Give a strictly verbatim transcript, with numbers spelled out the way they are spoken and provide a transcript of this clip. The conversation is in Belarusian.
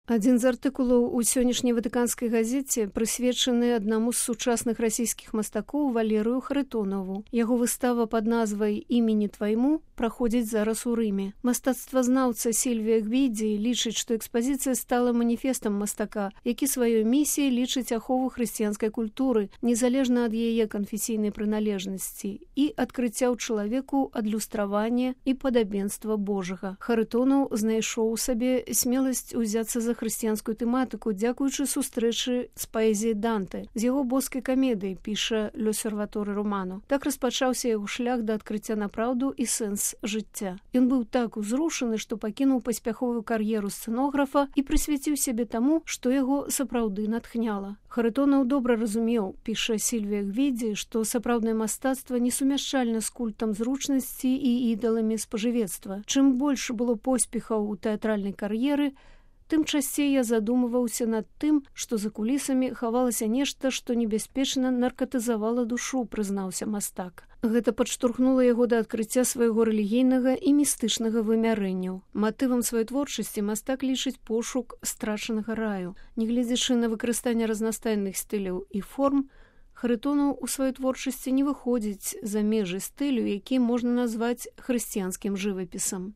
Адзін з артыкулаў у сённяшняй ватыканскай газеце прысвечаны аднаму з сучасных расійскіх мастакоў Валерыю Харитонову. Яго выстава пад назвай «Імені твайму» праходзіць зараз у Рыме. Мастацтвазнаўца Сільвія Гвідзі лічыць, што экспазіцыя стала маніфестам мастака, які сваёй місіяй лічыць ахову хрысціянскай культуры, незалежна ад яе канфесійнай прыналежнасці, і адкрыцця ў чалавеку адлюстравання і падабенства Божага. Харитонов знайшоў у сабе смеласць узяцца за хрысціянскую тэматыку, дзякуючы сустрэчы з паэзіяй Данте. З яго боскай камедыі, піша L'Osservatore Romano. Так распачаўся яго шлях да адкрыцця на праўду і сэнс жыцця. Ён быў так узрушаны, што пакінуў паспяховую кар'еру сцэнографа і прысвяціў сябе таму, што яго сапраўды натхняла. Харитонов добра разумеў, піша Сільвія Гвідзі, што сапраўднае мастацтва несумяшчальна з культам зручнасці і ідаламі спажывецтва. Чым больш было поспехаў у тэатральнай кар'еры, тым часцей я задумываўся над тым, што за кулісамі хавалася нешта, што небяспечна наркатызавала душу, прызнаўся мастак. Гэта падштурхнула яго да адкрыцця свайго рэлігійнага і містычнага вымярэнняў. Матывам сваёй творчасці мастак лічыць пошук страчанага раю. Нягледзячы на выкарыстанне разнастайных стыляў і форм, Харитонов у сваёй творчасці не выходзіць за межы стылю, які можна назваць хрысціянскім жывапісам.